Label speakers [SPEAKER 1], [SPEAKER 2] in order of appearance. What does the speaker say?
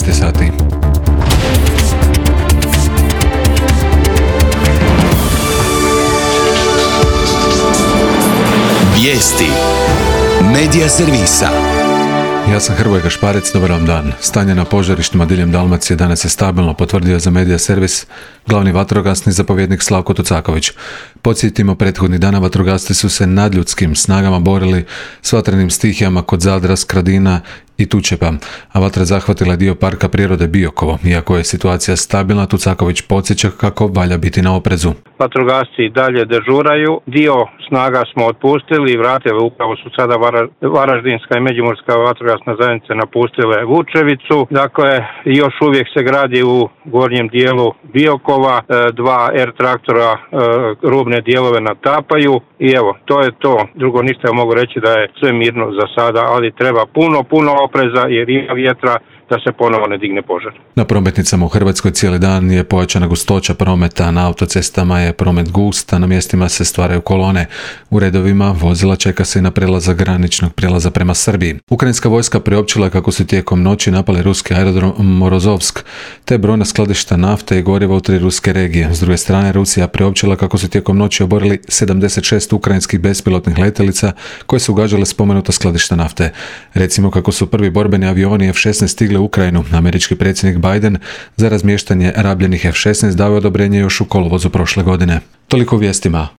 [SPEAKER 1] 13 sati.
[SPEAKER 2] Vijesti Medija servisa.
[SPEAKER 1] Ja sam Hrvoje Gašparec, dobar vam dan. Stanje na požarištima diljem Dalmacije danas je stabilno, potvrdio za Medija servis glavni vatrogasni zapovjednik Slavko Tucaković. Podsjetimo, prethodnih dana vatrogasci su se nadljudskim snagama borili s vatrenim stihijama kod Zadra, Skradina i Tučepa, a vatra zahvatila dio parka prirode Biokovo. Iako je situacija stabilna, Tucaković podsjeća kako valja biti na oprezu.
[SPEAKER 3] Vatrogasci dalje dežuraju, dio snaga smo otpustili i vratili, upravo su sada Varaždinska i Međimurska vatrogasna zajednica napustile Vučevicu. Dakle, još uvijek se gradi u gornjem dijelu Biokova, 2 R traktora rubne dijelove natapaju i evo, to je to. Drugo ništa ja mogu reći da je sve mirno za sada, ali treba puno opreza jer ima vjetra da se ponovo ne digne požar.
[SPEAKER 1] Na prometnicama u Hrvatskoj cijeli dan je pojačana gustoća prometa, na autocestama je promet gust, a na mjestima se stvaraju kolone. U redovima vozila čeka se i na prelazak graničnog prijelaza prema Srbiji. Ukrajinska vojska priopćila kako su tijekom noći napali ruski aerodrom Morozovsk, te brojna skladišta nafte i goriva u 3 ruske regije. S druge strane, Rusija priopćila kako su tijekom noći oborili 76 ukrajinskih bespilotnih letjelica koje su ugađale spomenuta skladišta nafte. Recimo kako su prvi borbeni avioni F-16 stigli u Ukrajinu. Američki predsjednik Biden za razmještanje rabljenih F-16 dao odobrenje još u kolovozu prošle godine. Toliko u vijestima.